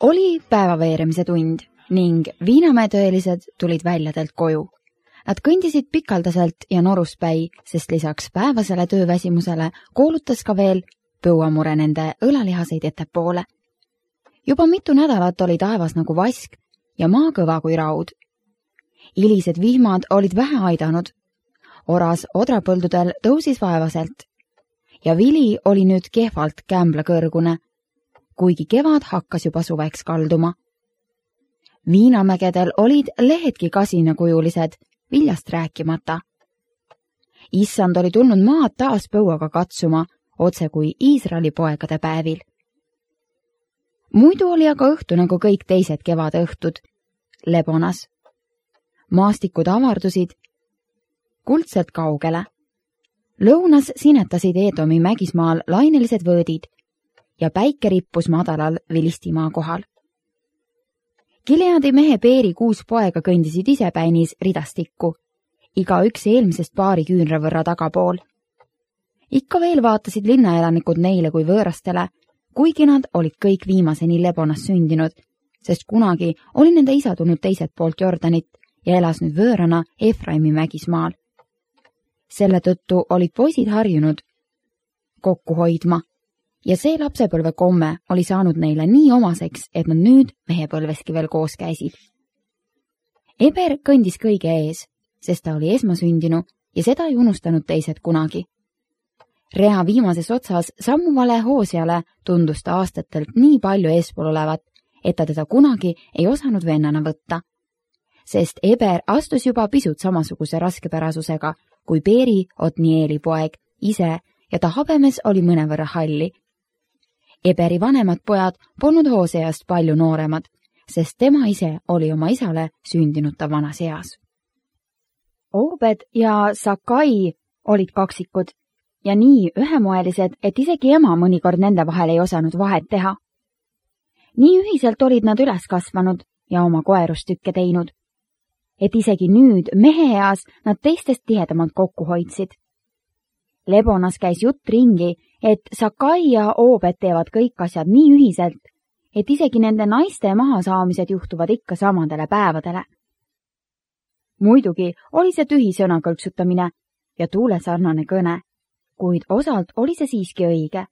Oli päevaveeremise tund ning Viinamäe töölised tulid väljadelt koju. Nad kõndisid pikaldaselt ja noruspäi, sest lisaks päevasele tööväsimusele koolutas ka veel põuamure nende õlalihaseid ettepoole. Juba mitu nädalat oli taevas nagu vask ja maa kõva kui raud. Ilised vihmad olid vähe aidanud. Oras odrapõldudel tõusis vaevaselt ja vili oli nüüd kehvalt kämbla kõrgune, kuigi kevad hakkas juba suveks kalduma. Viinamägedel olid lehedki kasinakujulised, viljast rääkimata. Issand oli tulnud maad taas põuaga katsuma, otse kui Iisraeli poegade päevil. Muidu oli aga õhtu nagu kõik teised kevade õhtud, lebonas. Maastikud avardusid kuldselt kaugele. Lõunas sinetasid Eedomi mägismaal lainelised võõdid ja päike rippus madalal Vilistimaa kohal. Gileadi mehe Peeri 6 poega kõndisid ise päinis ridastikku, iga üks eelmisest paari küünra võrra tagapool. Ikka veel vaatasid linnaelanikud neile kui võõrastele, kuigi nad olid kõik viimaseni Lebonas sündinud, sest kunagi oli nende isa tulnud teiselt poolt Jordanit ja elas nüüd võõrana Efraimi mägismaal. Selle tõttu olid poisid harjunud kokku hoidma ja see lapsepõlve komme oli saanud neile nii omaseks, et nad nüüd mehepõlveski veel koos käisid. Eber kõndis kõige ees, sest ta oli esmasündinu ja seda ei unustanud teised kunagi. Rea viimases otsas sammuvale Hoosiale tundus ta aastatelt nii palju eespool olevat, et ta teda kunagi ei osanud vennana võtta. Sest Eber astus juba pisut samasuguse raskepärasusega kui Peeri Otnieli poeg ise ja ta habemes oli mõnevõrra halli. Eberi vanemad pojad polnud Hooseast palju nooremad, sest tema ise oli oma isale sündinud ta vanas eas. Obed ja Sakai olid kaksikud ja nii ühemoelised, et isegi ema mõnikord nende vahel ei osanud vahet teha. Nii ühiselt olid nad üles kasvanud ja oma koerustükke teinud, et isegi nüüd mehe eas nad teistest tihedamalt kokku hoidsid. Lebonas käis jutt ringi, et Sakai ja Obed teevad kõik asjad nii ühiselt, et isegi nende naiste mahasaamised juhtuvad ikka samadele päevadele. Muidugi oli see tühi sõna kõlksutamine ja tuulesarnane kõne, kuid osalt oli see siiski õige,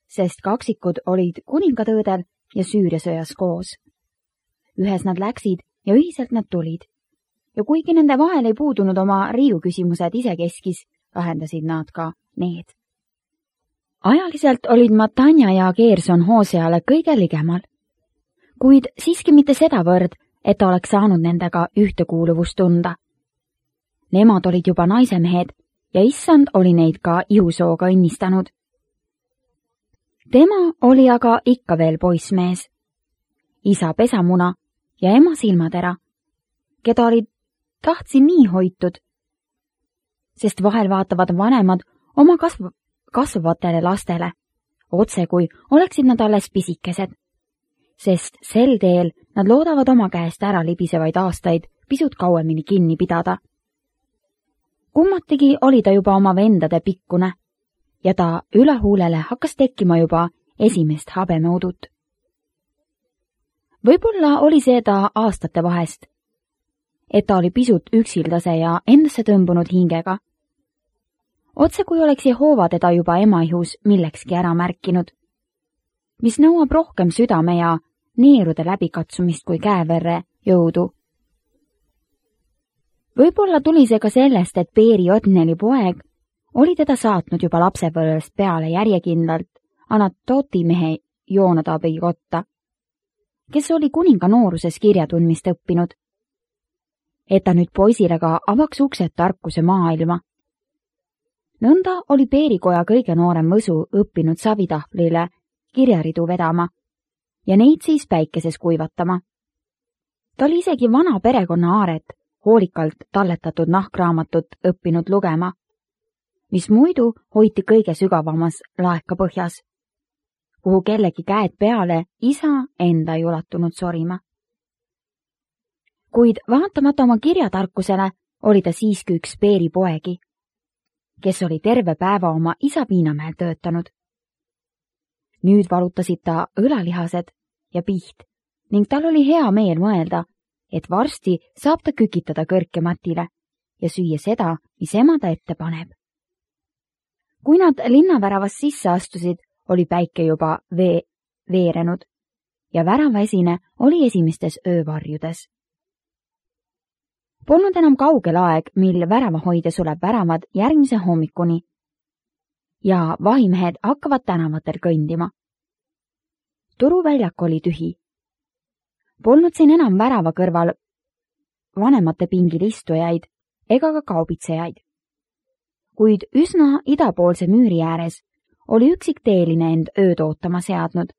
sest kaksikud olid kuningatõõdel ja Süüriasõjas koos. Ühes nad läksid ja ühiselt nad tulid. Ja kuigi nende vahel ei puudunud oma riiuküsimused isekeskis, lahendasid nad ka need. Ajaliselt olid Matanja ja Geerson Hooseale kõige ligemal, kuid siiski mitte sedavõrd, et ta oleks saanud nendega ühtekuuluvust tunda. Nemad olid juba naisemehed ja issand oli neid ka ihusooga õnnistanud. Tema oli aga ikka veel poissmees, isa pesamuna ja ema silmatera, keda olid tahtsin nii hoitud, sest vahel vaatavad vanemad oma kasvavatele lastele, otse kui oleksid nad alles pisikesed, sest sel teel nad loodavad oma käest ära libisevaid aastaid pisut kauemini kinni pidada. Kummatigi oli ta juba oma vendade pikkune ja ta ülehuulele hakkas tekkima juba esimest habemeudut. Võib-olla oli see ta aastate vahest, et ta oli pisut üksildase ja endasse tõmbunud hingega. Otse kui oleks Jehova teda juba emaihus millekski ära märkinud, mis nõuab rohkem südame ja neerude läbikatsumist kui käeverre jõudu. Võib-olla tuli see ka sellest, et Peeri Otnieli poeg oli teda saatnud juba lapsepõlvest peale järjekindlalt Anatoti mehe Joonadabi kotta, kes oli kuninga nooruses kirjatundmist õppinud, et ta nüüd poisile ka avaks uksed tarkuse maailma. Nõnda oli Peerikoja kõige noorem võsu õppinud savitahvlile kirjaridu vedama ja neid siis päikeses kuivatama. Ta oli isegi vana perekonna aaret, hoolikalt talletatud nahkraamatut õppinud lugema, mis muidu hoiti kõige sügavamas laekapõhjas, kuhu kellegi käed peale isa enda ei ulatunud sorima. Kuid vaatamata oma kirjatarkusele oli ta siiski üks Peeri poegi, kes oli terve päeva oma isa Viinamäel töötanud. Nüüd valutasid ta õlalihased ja piht ning tal oli hea meel mõelda, et varsti saab ta kükitada kõrkematile ja süüa seda, mis ema ta ette paneb. Kui nad linnaväravast sisse astusid, oli päike juba veerenud ja väravaesine oli esimestes öövarjudes. Polnud enam kaugel aeg, mil väravahoidja suleb väravad järgmise hommikuni ja vahimehed hakkavad tänavatel kõndima. Turuväljak oli tühi. Polnud siin enam värava kõrval vanemate pingil istujaid ega ka kaubitsejaid. Kuid üsna idapoolse müüri ääres oli üksik teeline end ööd ootama seadnud.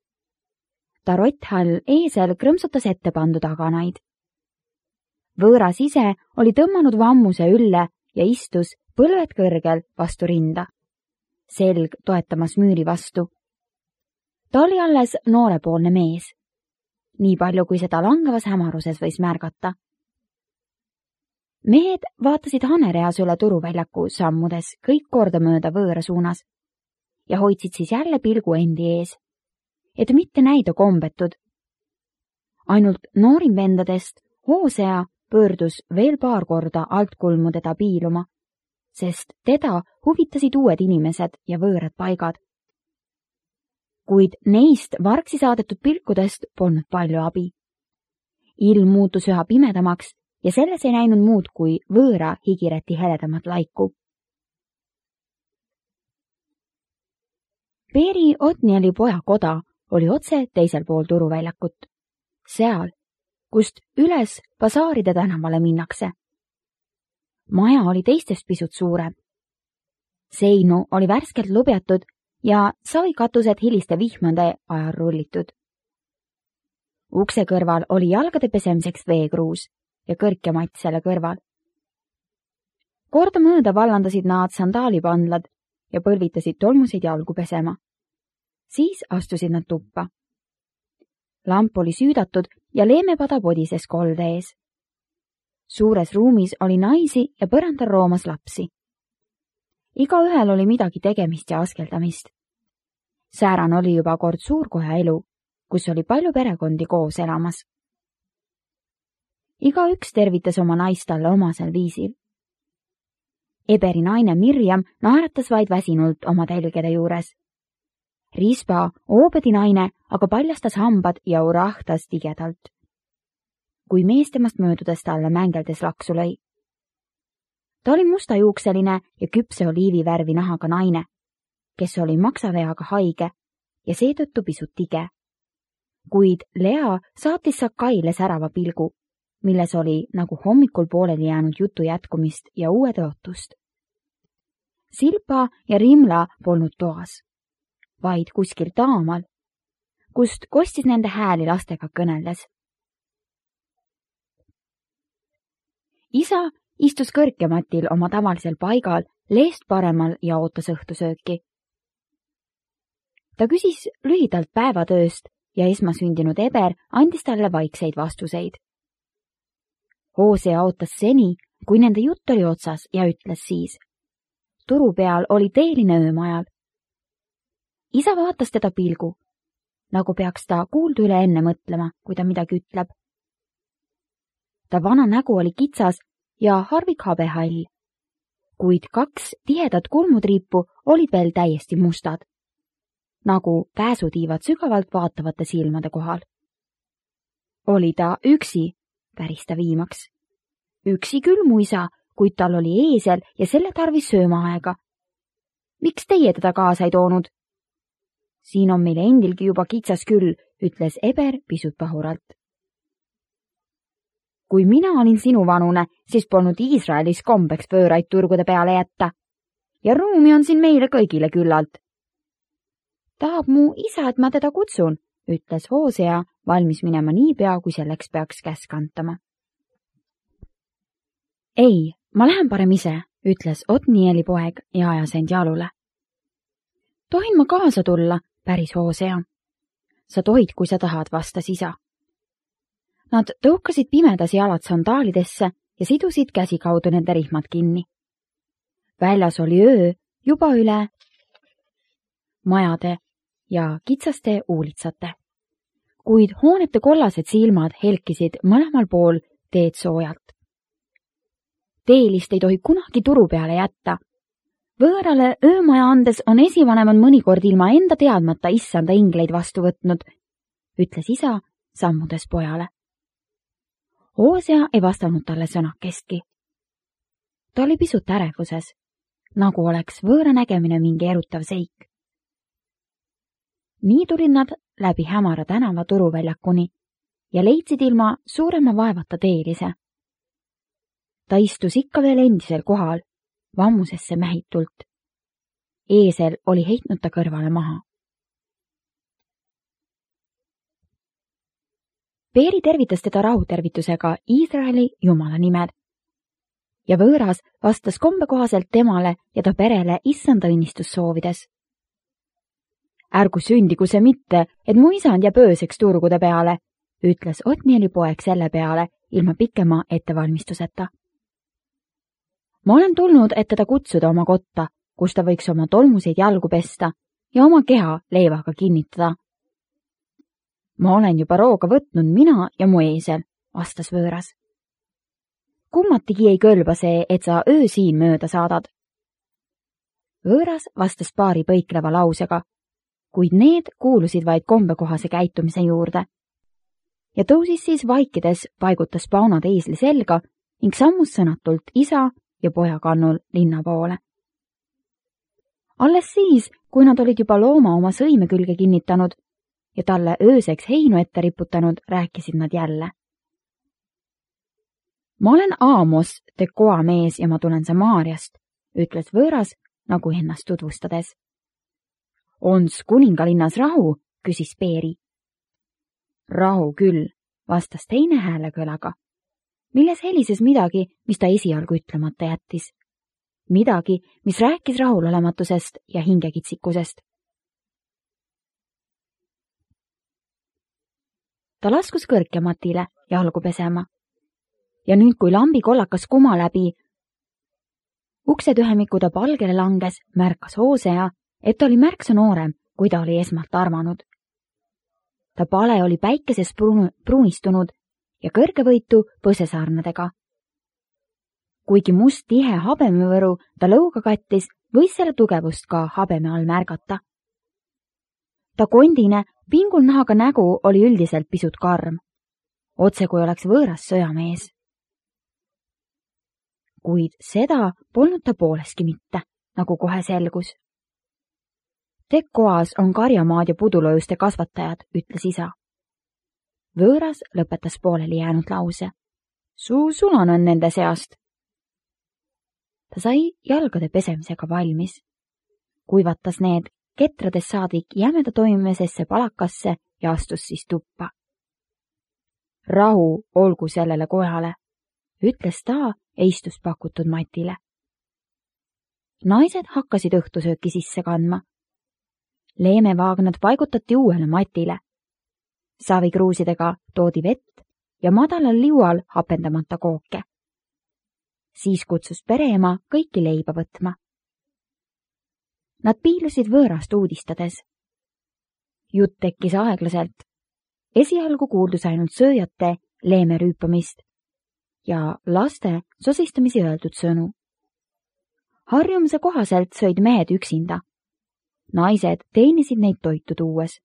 Ta rotthall eesel krõmsutas ette pandud aganaid. Võõras ise oli tõmmanud vammuse ülle ja istus põlved kõrgel vastu rinda, selg toetamas müüri vastu. Ta oli alles noorepoolne mees, nii palju kui seda langevas hämaruses võis märgata. Mehed vaatasid hanereas üle turuväljaku sammudes kõik kordamööda võõra suunas ja hoidsid siis jälle pilgu endi ees, et mitte näida kombetud. Ainult noorim vendadest Hoosea pöördus veel paar korda altkulmu teda piiluma, sest teda huvitasid uued inimesed ja võõrad paigad. Kuid neist vargsi saadetud pilkudest polnud palju abi. Ilm muutus üha pimedamaks ja selles ei näinud muud kui võõra higireti heledamat laiku. Peeri Otnieli poja koda oli otse teisel pool turuväljakut, seal, kust üles basaaride tänavale minnakse. Maja oli teistest pisut suurem. Seinu oli värskelt lubjatud ja savikatused hiliste vihmade ajal rullitud. Ukse kõrval oli jalgade pesemiseks veekruus ja kõrkematt selle kõrval. Kordamööda vallandasid nad sandaalipandlad ja põlvitasid tolmuseid jalgu pesema. Siis astusid nad tuppa. Lamp oli süüdatud ja leemepada podises kolde ees. Suures ruumis oli naisi ja põrandal roomas lapsi. Igaühel oli midagi tegemist ja askeldamist. Säärane oli juba kord suurkoja elu, kus oli palju perekondi koos elamas. Igaüks tervitas oma naist talle omasel viisil. Eberi naine Mirjam naeratas vaid väsinult oma telgede juures. Rispa Oobedi naine aga paljastas hambad ja urahtas tigedalt, kui mees temast möödudes talle mängeldes laksu lõi. Ta oli mustajuukseline ja küpse oliivivärvi nahaga naine, kes oli maksaveaga haige ja seetõttu pisut tige. Kuid Lea saatis Sakaile särava pilgu, milles oli nagu hommikul pooleli jäänud jutu jätkumist ja uue tõotust. Silpa ja Rimla polnud toas, vaid kuskil taamal, kust kostis nende hääli lastega kõneldes. Isa istus kõrkematil oma tavalisel paigal leest paremal ja ootas õhtusööki. Ta küsis lühidalt päevatööst ja esmasündinud Eber andis talle vaikseid vastuseid. Hoosea ootas seni, kui nende jutt oli otsas ja ütles siis: turu peal oli teeline öömajal. Isa vaatas teda pilgu, nagu peaks ta kuuldu üle enne mõtlema, kui ta midagi ütleb. Ta vana nägu oli kitsas ja harvik habehall, kuid 2 tihedat kulmutriipu olid veel täiesti mustad, nagu pääsutiivad sügavalt vaatavate silmade kohal. Oli ta üksi, päris ta viimaks. Üksi küll mu isa, kuid tal oli eesel ja selle tarvis söömaaega. Miks teie teda kaasa ei toonud? Siin on meil endilgi juba kitsas küll, ütles Eber pisut pahuralt. Kui mina olin sinuvanune, siis polnud Iisraelis kombeks võõraid turgude peale jätta. Ja ruumi on siin meile kõigile küllalt. Tahab mu isa, et ma teda kutsun, ütles Hoosea, valmis minema niipea, kui selleks peaks käsk antama. Ei, ma lähen parem ise, ütles Otnieli poeg ja ajas end jalule. Tohin ma kaasa tulla, päris Hoosea. Sa tohid, kui sa tahad, vastas isa. Nad tõukasid pimedas jalad sandaalidesse ja sidusid käsikaudu nende rihmad kinni. Väljas oli öö juba üle majade ja kitsaste uulitsate. kuid hoonete kollased silmad helkisid mõlemal pool teed soojalt. Teelist ei tohi kunagi turu peale jätta. Võõrale öömaja andes on esivanemad mõnikord ilma enda teadmata issanda ingleid vastu võtnud, ütles isa sammudes pojale. Hoosea ei vastanud talle sõnakestki. Ta oli pisut ärevuses, nagu oleks võõra nägemine mingi erutav seik. Nii tulid nad läbi hämara tänava turuväljakuni ja leidsid ilma suurema vaevata teelise. Ta istus ikka veel endisel kohal, vammusesse mähitult. Eesel oli heitnud ta kõrvale maha. Peeri tervitas teda rahutervitusega Iisraeli jumala nimel ja võõras vastas kombekohaselt temale ja ta perele issanda õnnistus soovides. Ärgu sündigu see mitte, et mu isand jääb ööseks turgude peale, ütles Otnieli poeg selle peale ilma pikema ettevalmistuseta. Ma olen tulnud, et teda kutsuda oma kotta, kus ta võiks oma tolmuseid jalgu pesta ja oma keha leivaga kinnitada. Ma olen juba rooga võtnud mina ja mu eesel, vastas võõras. Kummatigi ei kõlba see, et sa öö siin mööda saadad. Võõras vastas paari põikleva lausega, kuid need kuulusid vaid kombekohase käitumise juurde. Ja tõusis siis vaikides, paigutas paunad eesli selga ning sammus sõnatult isa ja poja kannul linna poole. Alles siis, kui nad olid juba looma oma sõime külge kinnitanud ja talle ööseks heinu ette riputanud, rääkisid nad jälle. Ma olen Aamos, Tekoa mees ja ma tulen Samaariast, ütles võõras, nagu ennast tutvustades. Ons kuningalinnas rahu, küsis Peeri. Rahu küll, vastas teine häälekõlaga, milles helises midagi, mis ta esialgu ütlemata jättis. Midagi, mis rääkis rahulolematusest ja hingekitsikusest. Ta laskus kõrkematile jalgu pesema. Ja nüüd, kui lambi kollakas kuma läbi uksetühemiku ta palgele langes, märkas Hoosea, et ta oli märksa noorem, kui ta oli esmalt arvanud. Ta pale oli päikeses pruunistunud ja kõrgevõitu põsesarnadega. Kuigi must tihe habemevõru ta lõuga kattis, võis selle tugevust ka habeme all märgata. Ta kondine, pingul nahaga nägu oli üldiselt pisut karm, otse kui oleks võõras sõjamees. Kuid seda polnud ta pooleski mitte, nagu kohe selgus. Tekoas on karjamaad ja pudulojuste kasvatajad, ütles isa. Võõras lõpetas pooleli jäänud lause. Su sulan on nende seast. Ta sai jalgade pesemisega valmis. Kuivatas need ketrades saadik jämeda toimimisesse palakasse ja astus siis tuppa. Rahu olgu sellele kojale, ütles ta ja istus pakutud matile. Naised hakkasid õhtusööki sisse kandma. Leemevaagnad paigutati uuele matile. Savikruusidega toodi vett ja madalal liual hapendamata kooke. Siis kutsus pereema kõiki leiba võtma. Nad piilusid võõrast uudistades. Jutt tekkis aeglaselt. Esialgu kuuldus ainult sööjate leeme rüüpamist ja laste sosistamisi öeldud sõnu. Harjumuse kohaselt sõid mehed üksinda. Naised teenisid neid toitu tuues.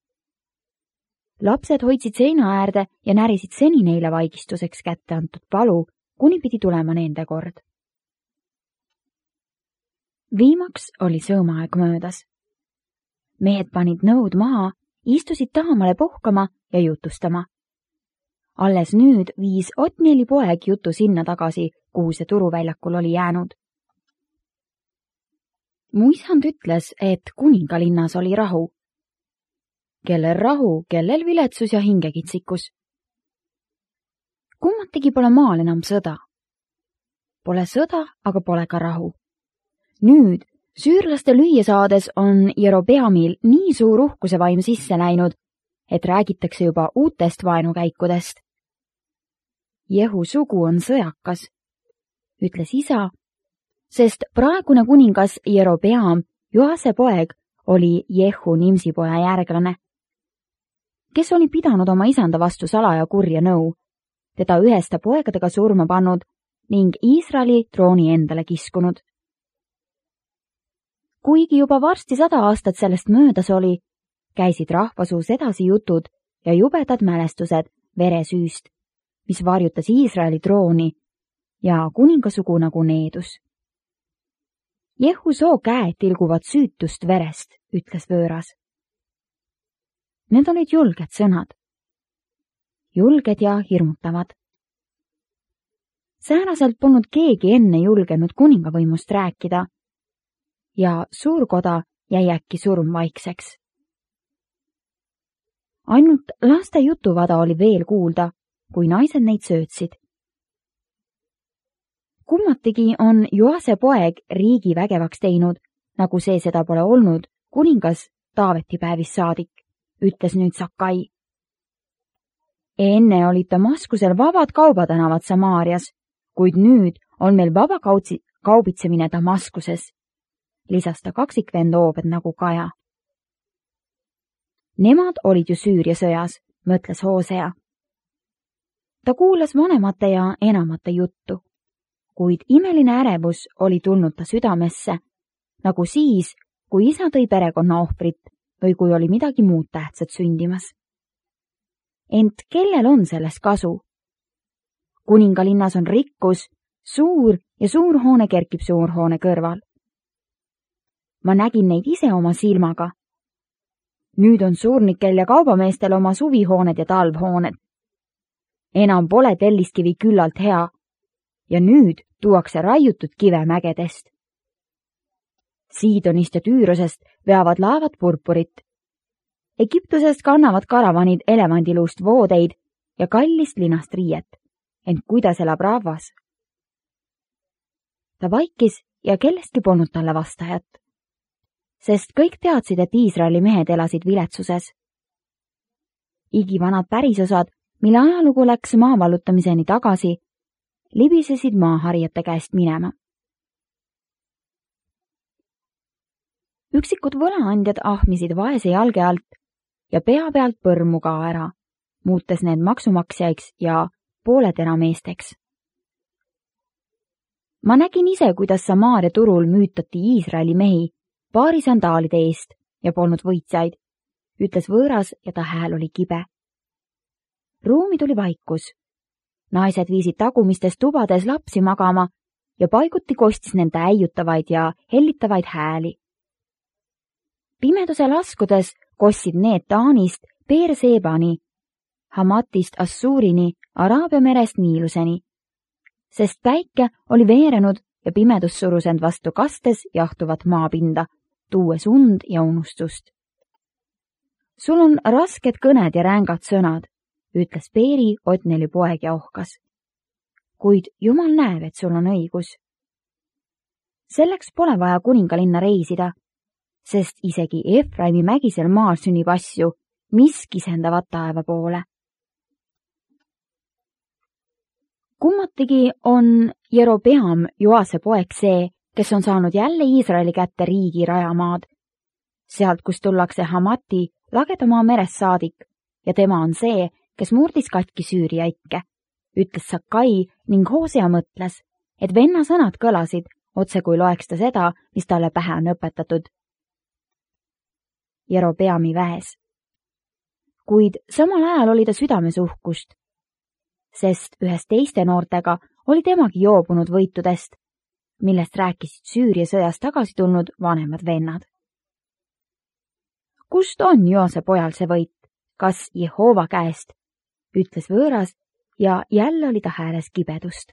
Lapsed hoidsid seina äärde ja närisid seni neile vaigistuseks kätte antud palu, kuni pidi tulema nende kord. Viimaks oli sõõmaaeg möödas. Mehed panid nõud maha, istusid tahamale puhkama ja jutustama. Alles nüüd viis Otnieli poeg jutu sinna tagasi, kuhu see turuväljakul oli jäänud. Mu isand ütles, et kuningalinnas oli rahu. Kellel rahu, kellel viletsus ja hingekitsikus. Kummatigi pole maal enam sõda. Pole sõda, aga pole ka rahu. Nüüd, süürlaste lüüa saades on Jerobeamil nii suur uhkuse vaim sisse läinud, et räägitakse juba uutest vaenukäikudest. Jehu sugu on sõjakas, ütles isa, sest praegune kuningas Jerobeam, Joase poeg, oli Jehu Nimsi poja järglane. kes oli pidanud oma isanda vastu salaja kurja nõu, teda üheste poegadega surma pannud ning Iisraeli trooni endale kiskunud. Kuigi juba varsti 100 aastat sellest möödas oli, käisid rahvasuus edasi jutud ja jubedad mälestused veresüüst, mis varjutas Iisraeli trooni ja kuningasugu nagu needus. Jehu soo käed tilguvad süütust verest, ütles võõras. Need olid julged sõnad. Julged ja hirmutavad. Sääraselt polnud keegi enne julgenud kuningavõimust rääkida ja suurkoda jäi äkki surmvaikseks. Ainult laste jutuvada oli veel kuulda, kui naised neid söötsid. Kummatigi on Joase poeg riigi vägevaks teinud, nagu see seda pole olnud kuningas Taaveti päevist saadik, ütles nüüd Sakai. Enne olid Damaskusel vabad kaubatänavad Samaarias, kuid nüüd on meil vaba kaubitsemine Damaskuses, lisas ta kaksikvend Oobed nagu Kaja. Nemad olid ju Süüria sõjas, mõtles Hoosea. Ta kuulas vanemate ja enamate juttu, kuid imeline ärevus oli tulnud ta südamesse, nagu siis, kui isa tõi perekonna ohvrit või kui oli midagi muud tähtsat sündimas. Ent kellel on sellest kasu? Kuningalinnas on rikkus, suur ja suurhoone kerkib suurhoone kõrval. Ma nägin neid ise oma silmaga. Nüüd on suurnikel ja kaubameestel oma suvihooned ja talvhooned. Enam pole telliskivi küllalt hea ja nüüd tuuakse raiutud kive mägedest. Siidonist ja Tüürosest veavad laevad purpurit. Egiptusest kannavad karavanid elevandiluust voodeid ja kallist linast riiet, ent kuidas elab rahvas? Ta vaikis ja kellestki polnud talle vastajat, sest kõik teadsid, et Iisraeli mehed elasid viletsuses. Igivanad pärisosad, mille ajalugu läks maa vallutamiseni tagasi, libisesid maaharijate käest minema. Üksikud võlaandjad ahmisid vaese jalge alt ja pea pealt põrmu ka ära, muutes need maksumaksjaiks ja pooleterameesteks. Ma nägin ise, kuidas Samaaria turul müütati Iisraeli mehi paari sandaalide eest ja polnud võitjaid, ütles võõras ja ta hääl oli kibe. Ruumi tuli vaikus. Naised viisid tagumistes tubades lapsi magama ja paiguti kostis nende äiutavaid ja hellitavaid hääli. Pimeduse laskudes kostsid need Taanist Beerseebani, Hamatist Assuurini, Araabia merest Niiluseni, sest päike oli veerenud ja pimedus surus end vastu kastes jahtuvat maapinda, tuues und ja unustust. Sul on rasked kõned ja rängad sõnad, ütles Beeri Otneli poeg ja ohkas. Kuid Jumal näeb, et sul on õigus. Selleks pole vaja kuningalinna reisida, sest isegi Efraimi mägisel maal sünnib asju, mis kisendavad taeva poole. Kummatigi on Jerobeam Joase poeg see, kes on saanud jälle Iisraeli kätte riigi rajamaad. Sealt, kus tullakse Hamati lagedamaa merest saadik ja tema on see, kes murdis katki Süüria ikke, ütles Sakai ning Hoosea mõtles, et venna sõnad kõlasid, otse kui loeks ta seda, mis talle pähe on õpetatud. Jerobeami väes. Kuid samal ajal oli ta südames uhkust, sest ühes teiste noortega oli temagi joobunud võitudest, millest rääkisid Süüria sõjast tagasi tulnud vanemad vennad. Kust on Joase pojal see võit? Kas Jehova käest? Ütles võõras ja jälle oli ta hääles kibedust.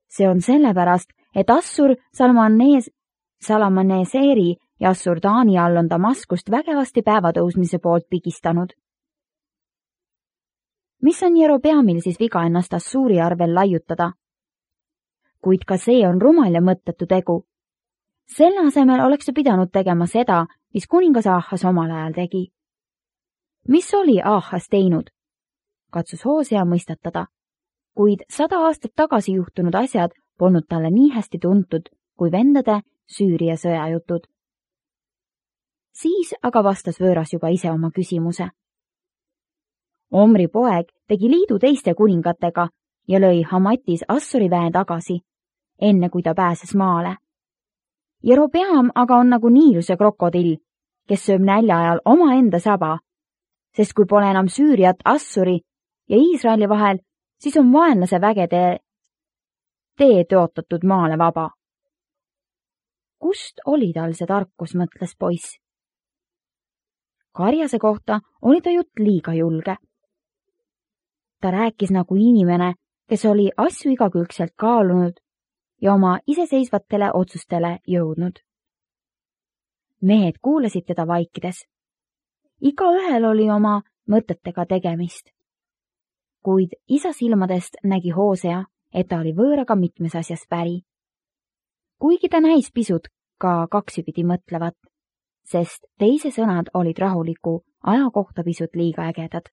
See on sellepärast, et Assur Salamaneseeri ja Assur Taani all on Damaskust vägevasti päevatõusmise poolt pigistanud. Mis on Jerobeamil siis viga ennast Assuuri arvel laiutada? Kuid ka see on rumal ja mõttetu tegu. Selle asemel oleks ta pidanud tegema seda, mis kuningas Ahas omal ajal tegi. Mis oli Ahas teinud? Katsus Hoosea mõistatada, kuid 100 aastat tagasi juhtunud asjad polnud talle nii hästi tuntud kui vendade Süüria sõjajutud. Siis aga vastas võõras juba ise oma küsimuse. Omri poeg tegi liidu teiste kuningatega ja lõi Hamatis Assuri väe tagasi, enne kui ta pääses maale. Jerobeam aga on nagu Niiluse krokodill, kes sööb nälja ajal omaenda saba, sest kui pole enam Süüriat, Assuri ja Iisraeli vahel, siis on vaenlase vägede tee tõotatud maale vaba. Kust oli tal see tarkus, mõtles poiss. Karjase kohta oli ta jutt liiga julge. Ta rääkis nagu inimene, kes oli asju igakülgselt kaalunud ja oma iseseisvatele otsustele jõudnud. Mehed kuulasid teda vaikides. Igaühel oli oma mõtetega tegemist. Kuid isa silmadest nägi Hoosea, et ta oli võõraga mitmes asjas päri. Kuigi ta näis pisut ka kaksipidi mõtlevat, sest teise sõnad olid rahuliku aja kohta pisut liiga ägedad.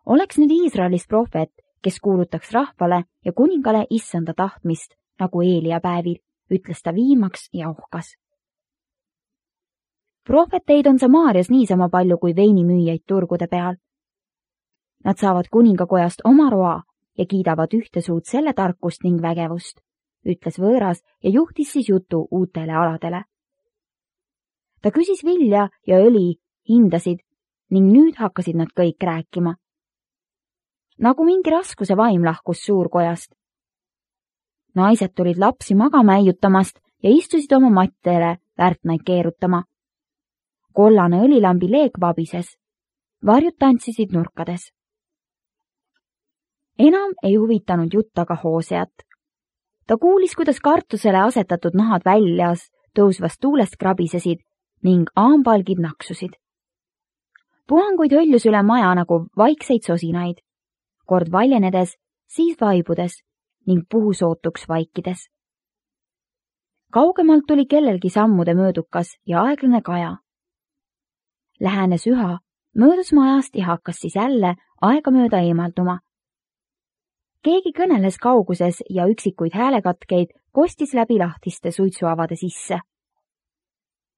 Oleks nüüd Iisraelis prohvet, kes kuulutaks rahvale ja kuningale issanda tahtmist, nagu Eelia päevil, ütles ta viimaks ja ohkas. Prohveteid on Samaarias niisama palju kui veinimüüjaid turgude peal. Nad saavad kuningakojast oma roa ja kiidavad ühte suud selle tarkust ning vägevust, ütles võõras ja juhtis siis jutu uutele aladele. Ta küsis vilja ja õli, hindasid ning nüüd hakkasid nad kõik rääkima. Nagu mingi raskuse vaim lahkus suurkojast. Naised tulid lapsi magama äiutamast ja istusid oma mattele värtnaid keerutama. Kollane õlilambi leek vabises. Varjud tantsisid nurkades. Enam ei huvitanud jutt aga Hooseat. Ta kuulis, kuidas kartusele asetatud nahad väljas tõusvast tuulest krabisesid ning aambaalgid naksusid. Puhanguid hõljus üle maja nagu vaikseid sosinaid, kord valjenedes, siis vaibudes ning puhusootuks vaikides. Kaugemalt tuli kellelgi sammude möödukas ja aeglane kaja. Lähenes üha, möödus majast ja hakkas siis jälle aegamööda eemalduma. Keegi kõneles kauguses ja üksikuid häälekatkeid kostis läbi lahtiste suitsuavade sisse.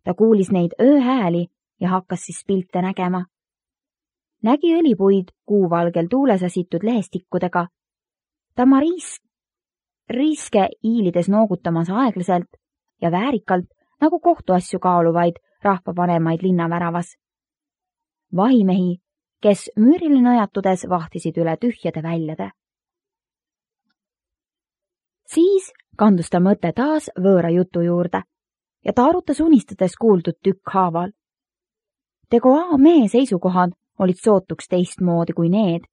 Ta kuulis neid ööhääli ja hakkas siis pilte nägema. Nägi õlipuid kuuvalgel tuules asitud lehestikkudega. Ta riiske iilides noogutamas aeglaselt ja väärikalt nagu kohtuasju kaaluvaid rahvavanemaid linnaväravas. Vahimehi, kes müürile nõjatudes vahtisid üle tühjade väljade. Siis kandus ta mõte taas võõra jutu juurde ja ta arutas unistades kuuldud tükkhaaval. Tegoa mehe seisukohad olid sootuks teistmoodi kui need,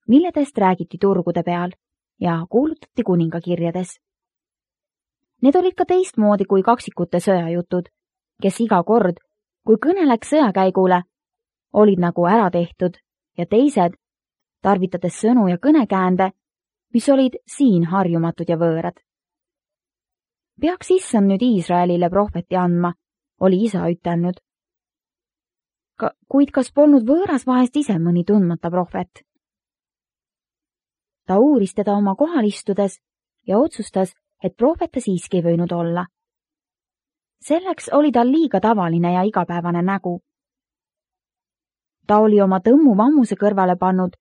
milledest räägiti turgude peal ja kuulutati kuningakirjades. Need olid ka teistmoodi kui kaksikute sõjajutud, kes iga kord, kui kõne läks sõjakäigule, olid nagu ära tehtud ja teised, tarvitades sõnu ja kõnekäände, mis olid siin harjumatud ja võõrad. Peaks issand nüüd Iisraelile prohveti andma, oli isa ütelnud. Kuid kas polnud võõras vahest ise mõni tundmata prohvet? Ta uuris teda oma kohal istudes ja otsustas, et prohvete siiski ei võinud olla. Selleks oli tal liiga tavaline ja igapäevane nägu. Ta oli oma tõmmu vammuse kõrvale pannud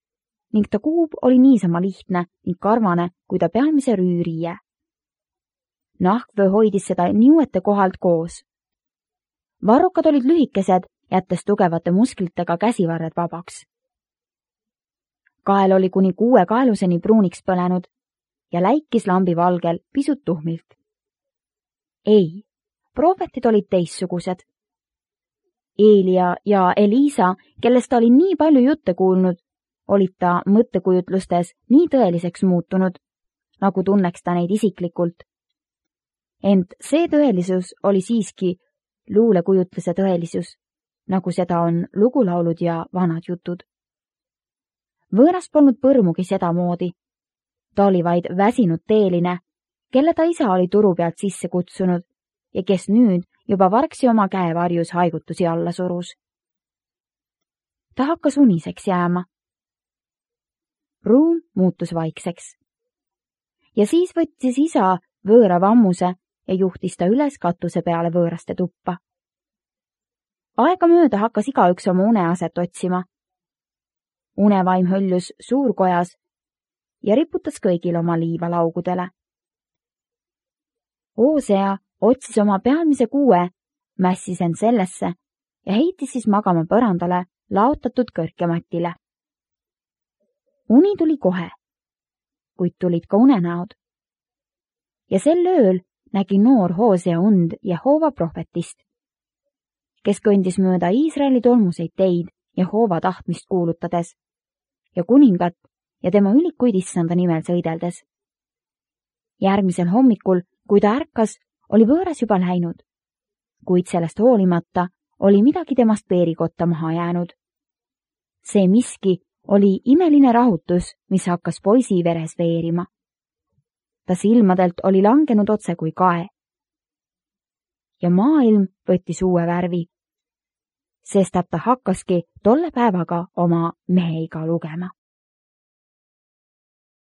ning ta kuub oli niisama lihtne ning karvane kui ta pealmise rüüriie. Nahkvöö hoidis seda niuete kohalt koos. Varrukad olid lühikesed, jättes tugevate musklitega käsivarred vabaks. Kael oli kuni 6 kaeluseni pruuniks põlenud ja läikis lambi valgel pisut tuhmilt. Ei, prohvetid olid teistsugused. Eelia ja Eliisa, kellest ta oli nii palju jutte kuulnud, olid ta mõttekujutlustes nii tõeliseks muutunud, nagu tunneks ta neid isiklikult. Ent see tõelisus oli siiski luulekujutluse tõelisus, nagu seda on lugulaulud ja vanad jutud. Võõras polnud põrmugi sedamoodi. Ta oli vaid väsinud teeline, kelle ta isa oli turu pealt sisse kutsunud ja kes nüüd juba vargsi oma käevarjus haigutusi alla surus. Ta hakkas uniseks jääma. Ruum muutus vaikseks. Ja siis võttis isa võõra vammuse ja juhtis ta üles katuse peale võõraste tuppa. Aegamööda hakkas igaüks oma uneaset otsima. unevaim höljus suurkojas ja riputas kõigil oma liiva laugudele. Hoosea otsis oma pealmise kuue, mässis end sellesse ja heitis siis magama põrandale laotatud kõrkematile. Uni tuli kohe, kuid tulid ka unenäod. Ja sel ööl nägi noor Hoosea und Jehova prohvetist, kes kõndis mööda Iisraeli tolmuseid teid Jehova tahtmist kuulutades ja kuningat ja tema ülikuid issanda nimel sõideldes. Järgmisel hommikul, kui ta ärkas, oli võõras juba läinud, kuid sellest hoolimata oli midagi temast peerikotta maha jäänud. See miski oli imeline rahutus, mis hakkas poisi veres veerima. Ta silmadelt oli langenud otse kui kae. Ja maailm võttis uue värvi, sest ta hakkaski tolle päevaga oma meheiga lugema.